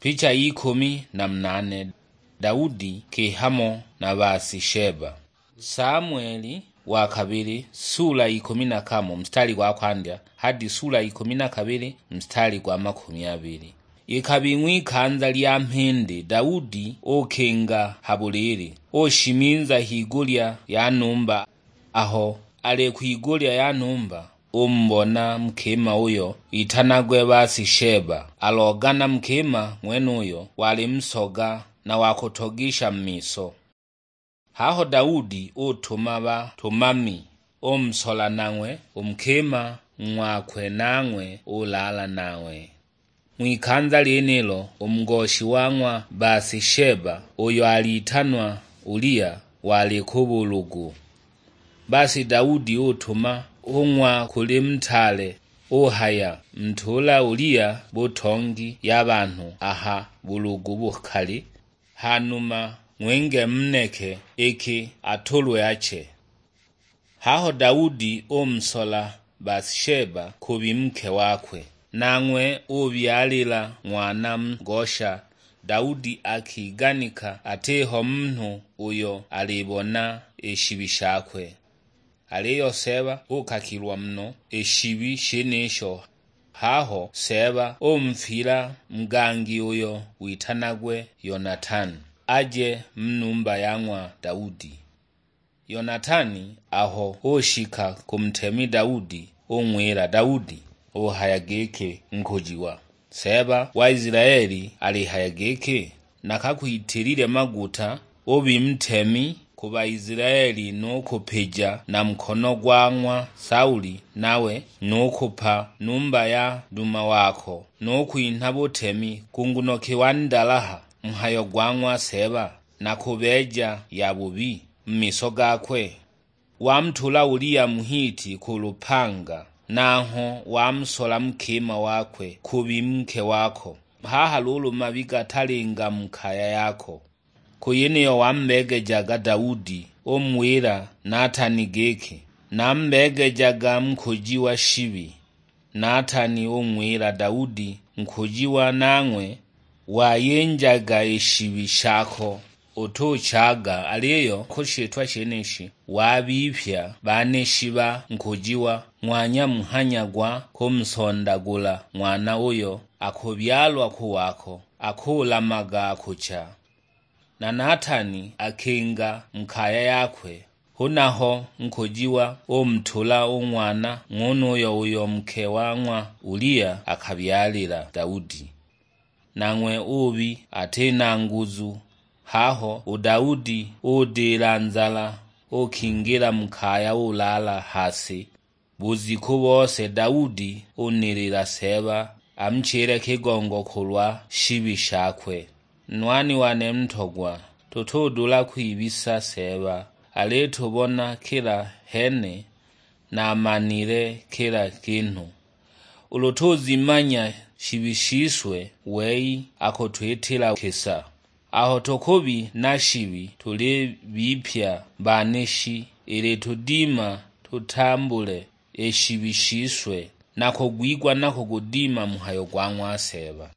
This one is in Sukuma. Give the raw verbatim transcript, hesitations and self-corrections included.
Picha y'ikumi na munane. Daudi kihamo na Bathsheba. Samueli wa kabili, sula ikumi na kamo, mstari gwa kwandya, hadi sula ikumi na kabili, mstari gwa makumi abili. Ikabing'wa ikanza lya mhindi, Daudi ukinga ha bulili, ushiminza higulya ya numba. Aho ali kwigulya ya numba, umubona mukima uyo itanagwe Bathsheba, alogana mukima ng'wenuyo wali musoga na wa kutogisha mu miso. Haho Daudi utuma batumami, umusola nang'we u mukima ng'wakwe, nang'we ulala nang'we. Ng'wikanza lyenilo u mugoshi wa ng'wa Bathsheba, uyo alitanwa Ulia, wali ku bulugu. Basi Daudi utuma ung'wa kuli mutaale, uhaya, "Ntula Ulia butongi ya banhu aha bulugu bukali, hanuma ng'winge muneke iki atulwe ache." Haho Daudi umusola Bathsheba kubi nke wakwe, nang'we ubyalila ng'wana ngosha. Daudi akiganika atiho munhu uyo alibona i shibi shakwe. Aliyo Seeba ukakilwa muno i shibi shenisho. Haho Seeba umfila mugangi uyo witanagwe Yonatani, aje mu numba ya ng'wa Daudi. Yonatani aho ushika ku mutemi Daudi, ung'wila, "Daudi," uhaya giki, "Nkujiwa, Seeba wa Isilaeli alihaya giki, 'Nakakwitilile maguta ubi mutemi ku Baisilaeli, nu kupija na mukono gwa ng'wa Sauli, nawe nu kupa numba ya duma wako, nu kwinha butemi ku nguno ki wandalaha mhayo gwa ng'wa Seeba, na kubeeja yabubi mu miso gakwe?'" Wamutula Ulia Muhiti ku lupanga, nanghwe wamusola mukima wakwe kubi nke wako. Haha luulu mabi gatalinga mu kaya yako. Ku yeniyo wambeegejaga Daudi, umuwila Natani giki, "Nambeegejaga nkujiwa shibi." Natani ung'wila Daudi, "Nkujiwa nang'we wayinjaga i shibi shako, utuchaga, aliyo ku shitwa shenishi wabipya baneshi ba nkujiwa, ng'wanya muhanya gwa kumusondagula ng'wana uyo akubyalwa ku wako, akulamaga akucha." Na Natani akinga mu kaya yakwe, hunaho nkujiwa umutula u ng'wana ng'unuyo uyo muke wa ng'wa Ulia akabyalila Daudi. Nang'we ubi ati na nguzu, haho u Daudi udila nzala, ukingila mu kaya ulala ha si. Bujiku bose Daudi unilila Seeba, amuchile kigongo kulwa shibi shakwe. Nwani wane ntogwa, tutudula kwibisa Seeba, alitubona kila hene, na amanile kila kinhu. Ulu tuzimanya shibi shiswe, wei akutwitila kisa. Aho tukubi na shibi, tulibipya baneshi, ili tudima tutambule i shibi shiswe, na kugwigwa na kugudima mhayo gwa ng'wa Seeba.